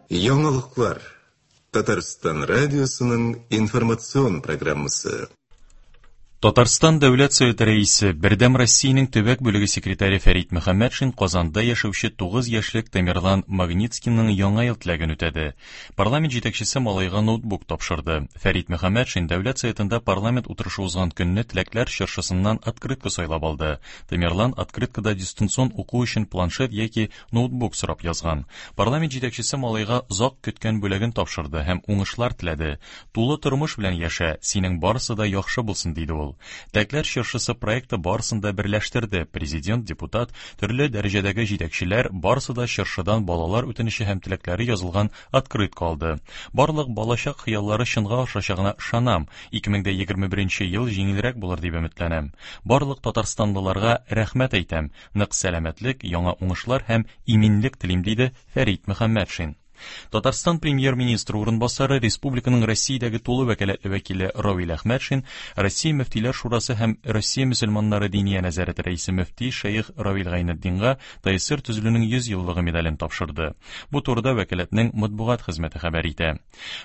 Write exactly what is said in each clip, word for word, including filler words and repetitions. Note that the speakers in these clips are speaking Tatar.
Яңалыклар. Татарстан радиосының информацион программасы. Татарстан Дәүләт Советы рәисе, Бердәм Россиянең төбәк бүлеге секретаре Фәрит Мөхәммәтшин Казанда яшәүче тугыз яшьлек Тамерлан Магнитскийның яңа ел теләген үтәде. Парламент җитәкчесе малайга ноутбук тапшырды. Фәрит Мөхәммәтшин Дәүләт Советында парламент утырышы узган көнне теләкләр чыршысыннан открытка сайлап алды. Тамерлан открыткада дистанцион уку өчен планшет яки ноутбук сорап язган. Парламент җитәкчесе малайга озак көткән бүләген тапшырды һәм уңышлар теләде. Тулы тормыш белән яшә, синең барысы да яхшы булсын, диде ул. Теләкләр чыршысы проекты барысын да берләштерде. Президент, депутат, төрле дәрәҗәдәге җитәкчеләр барысы да чыршыдан балалар үтенече һәм теләкләре язылган открытка алды. Барлык балачак хыяллары чынга ашачагына ышанам. ике мең егерме беренче ел җиңелрәк булыр дип өметләнәм. Барлык татарстанлыларга рәхмәт әйтәм. Нык сәламәтлек, яңа уңышлар һәм иминлек телим, диде Фәрит Мөхәммәтшин. Татарстан премьер-министры урынбасары, республиканың Россиядәге тулы вәкаләтле вәкиле Равил Әхмәтшин, Россия Мөфтиләр Шурасы һәм Россия мөселманнары диния нәзарәте рәисе мөфти шәех Равил Гайнетдинга Т С С Р төзелүнең йөз еллыгы медален тапшырды. Бу турыда вәкаләтнең матбугат хезмәте хәбәр итә.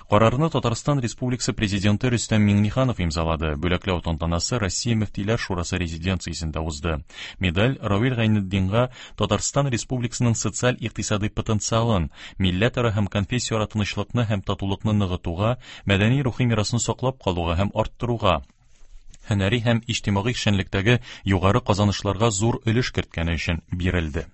Карарны Татарстан Республикасы президенты Рөстәм Миңнеханов имзалады. Бүләкләү тантанасы Россия Мөфтиләр Шурасы резиденциясендә узды. Медаль Равил Гайнетдинга Татарстан Республикасының социаль-икътисадый потенциалын, милләтара һәм конфессияара тынычлыкны һәм татулыкны ныгытуга, мәдәни рухи мирасны саклап калуга һәм арттыруга, һөнәри һәм иҗтимагый эшчәнлектәге югары казанышларга зур өлеш керткәне өчен бирелде.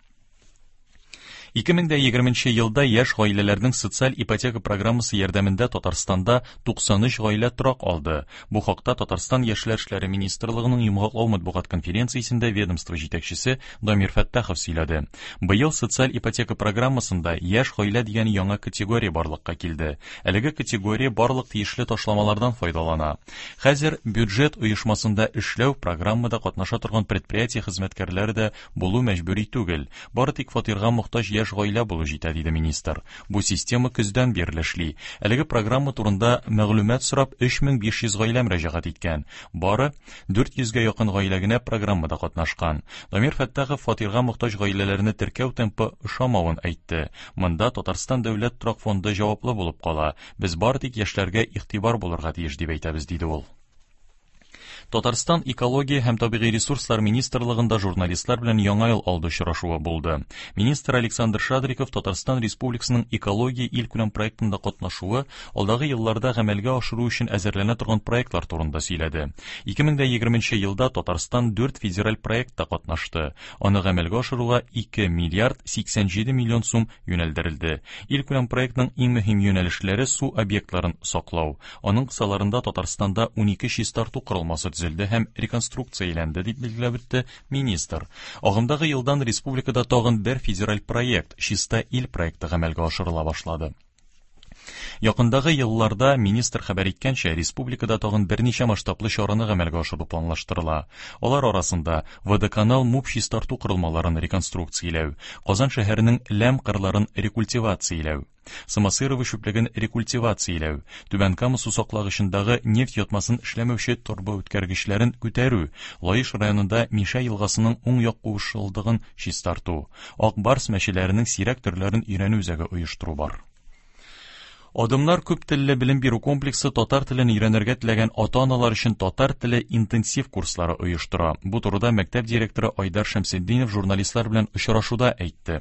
Ике мең егерменче елда яшь гаиләләрнең социаль ипотека программасы ярдәмендә Татарстанда туксан өч гаилә торак алды. Бу хакта Татарстан Яшьләр эшләре министрлыгының йомгаклау матбугат конференциясендә ведомство җитәкчесе Дамир Фәттахов сөйләде. Быел социаль ипотека программасында яшь гаилә дигән яңа категория барлыкка килде. Әлеге категория барлык тиешле ташламалардан файдалана. Хәзер бюджет оешмасында эшләү программада катнаша торган предприятие хезмәткәрләре дә булу мәҗбүри түгел. Бары тик фатирга мохтаҗ яшь гаилә булу җитә, диде министр. Бу система көздән бирле эшли. Әлеге программа турында мәгълүмат сорап өч мең биш йөз гаилә мөрәҗәгать иткән. Бары дүрт йөзгә якын гаилә генә программада катнашкан. Дамир Фәттахов фатирга мохтаҗ гаиләләрне теркәү темпы ошамавын әйтте. Монда Татарстан дәүләт торак фонды җаваплы булып кала. Без бары тик яшьләргә игътибар булырга тиеш дип әйтәбез, диде ул. Татарстан экология һәм табигый ресурслар министрлыгында журналистлар белән яңа ел алды очрашуы булды. Министр Александр Шадриков Татарстан Республикасының экология илкүләм проектында катнашуы алдагы елларда гамәлгә ашыру өчен әзерләнә торган проектлар турында сөйләде. Ике мең егерменче елда Татарстан дүрт федераль проектта катнашты. Аны гамәлгә ашыруга ике миллиард сиксән җиде миллион сум юнәлдерелде. Илкүләм проектның иң мөһим юнәлешләре су объектларын саклау. Аның кысаларында Татарстанда унике чистарту корылмасы төзелде һәм реконструкцияләнде, дип билгеләп үтте министр. Агымдагы елдан республикада тагын бер федераль проект Чиста ил проекты гамәлгә ашырыла башлады. Якындагы елларда министр хәбәр иткәнчә, республикада тагын берничә масштаблы чараны гамәлгә ашыру планлаштырыла. Алар арасында Водоканал МУП чистарту корылмаларын реконструкцияләү, Казан шәһәренең ләм кырларын рекультивацияләү, Самосырово чүплеген рекультивацияләү, Түбән Кама су саклагычындагы нефть ятмасын эшләмәүче торба үткәргечләрен күтәрү, Лаеш районында Мишә елгасының уң як кушылдыгын чистарту, Ак барс мәчеләренең сирәк төрләрен өйрәнү үзәге оештыру бар. Адымнар күп телле белем бирү комплексы татар телен өйрәнергә теләгән ата-аналар өчен татар теле интенсив курслары оештыра. Бу турыда мәктәп директоры Айдар Шәмсетдинов журналистлар белән очрашуда әйтте.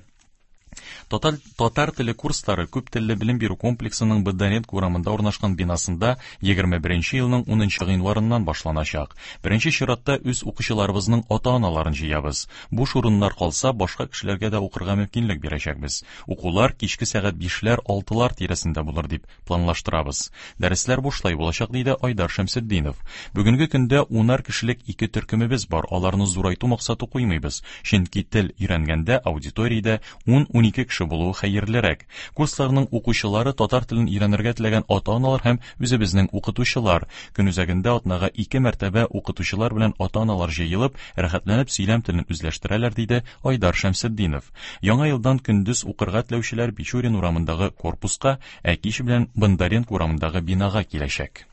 Татар, татар теле курслары күп телле белем бирү комплексының Бондаренко урамында урнашкан бинасында егерме беренче елның унынчы гыйнварыннан башланачак. Беренче чиратта үз укучыларыбызның ата-аналарын җыябыз. Буш урыннар калса, башка кешеләргә дә укырга мөмкинлек бирәчәкбез. Укулар кичке сәгать бишләр, алтылар тирәсендә булыр дип планлаштырабыз. Дәресләр бушлай булачак, диде Айдар Шәмсетдинов. Бүгенге көндә унар кешелек ике төркемебез бар. Аларны зурайту максаты куймыйбыз. Чөнки тел өйрәнгәндә аудиториядә ун-унике кеше булуы хәерлерәк. Курсларның укучылары татар телен өйрәнергә теләгән ата-аналар һәм үзебезнең укытучылар. Көн үзәгендә атнага ике мәртәбә укытучылар белән ата-аналар җыелып, рәхәтләнеп сөйләм телен үзләштерәләр, диде Айдар Шәмсетдинов. Яңа елдан көндез укырга теләүчеләр Бичурин урамындагы корпуска, ә кич белән Бондаренко урамындагы бинага киләчәк.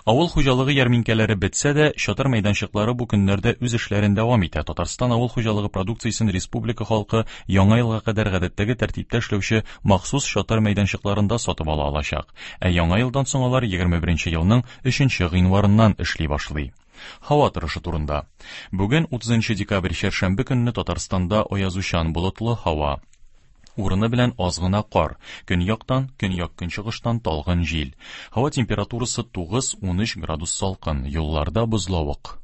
Авыл хуҗалыгы ярминкәләре бетсә дә, чатыр мәйданчыклары бу көннәрдә үз эшләрен дәвам итә. Татарстан авыл хуҗалыгы продукциясен республика халкы Яңа елга кадәр гадәттәге тәртиптә эшләүче махсус чатыр мәйданчыкларында сатып ала алачак. Ә Яңа елдан соң алар егерме беренче елның өченче гыйнварыннан эшли башлый. Һава торышы турында. Бүген утызынчы декабрь чәршәмбе көнне Татарстанда аязучан болытлы һава. Урыны белән аз гына кар. Көньяктан, көньяк-көнчыгыштан талгын җил. Һава температурасы тугыз-унөч градус салкын. Юлларда бозлавык.